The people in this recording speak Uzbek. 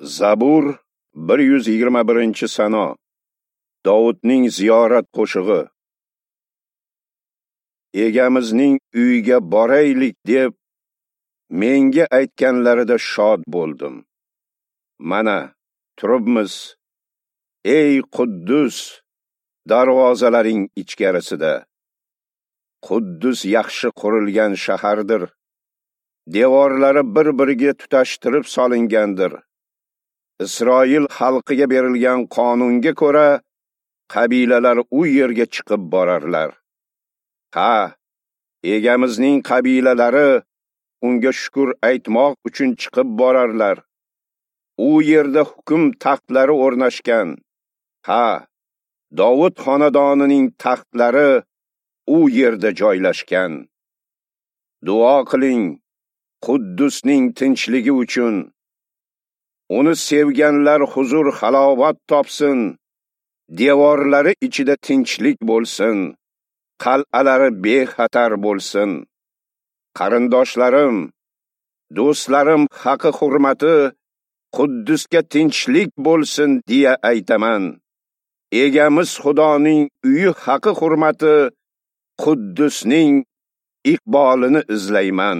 Zabur 121-sano. Dovudning ziyorat qo'shig'i. Egamizning uyiga boraylik deb menga aytganlarida shod bo'ldim. Mana turibmiz, ey Quddus, darvozalaring ichkarisida. Quddus yaxshi qurilgan shahardir. Devorlari bir-biriga tutashtirib solingandir. Isroil xalqiga berilgan qonunga ko'ra, qabilalar u yerga chiqib borarlar. Ha, egamizning qabilalari unga shukr aytmoq uchun chiqib borarlar. U yerda hukm taxtlari o'rnashgan. Ha, Dovud xonadonining taxtlari u yerda joylashgan. Duo qiling Quddusning tinchligi uchun. Uni sevganlar huzur halovat topsin. Devorlari ichida tinchlik bo'lsin. Qal'alari bexatar bo'lsin. Qarindoshlarim, do'stlarim haqi hurmati Quddusga tinchlik bo'lsin deya aytaman. Egamiz Xudoning uyi haqi hurmati Quddusning iqbolini izlayman.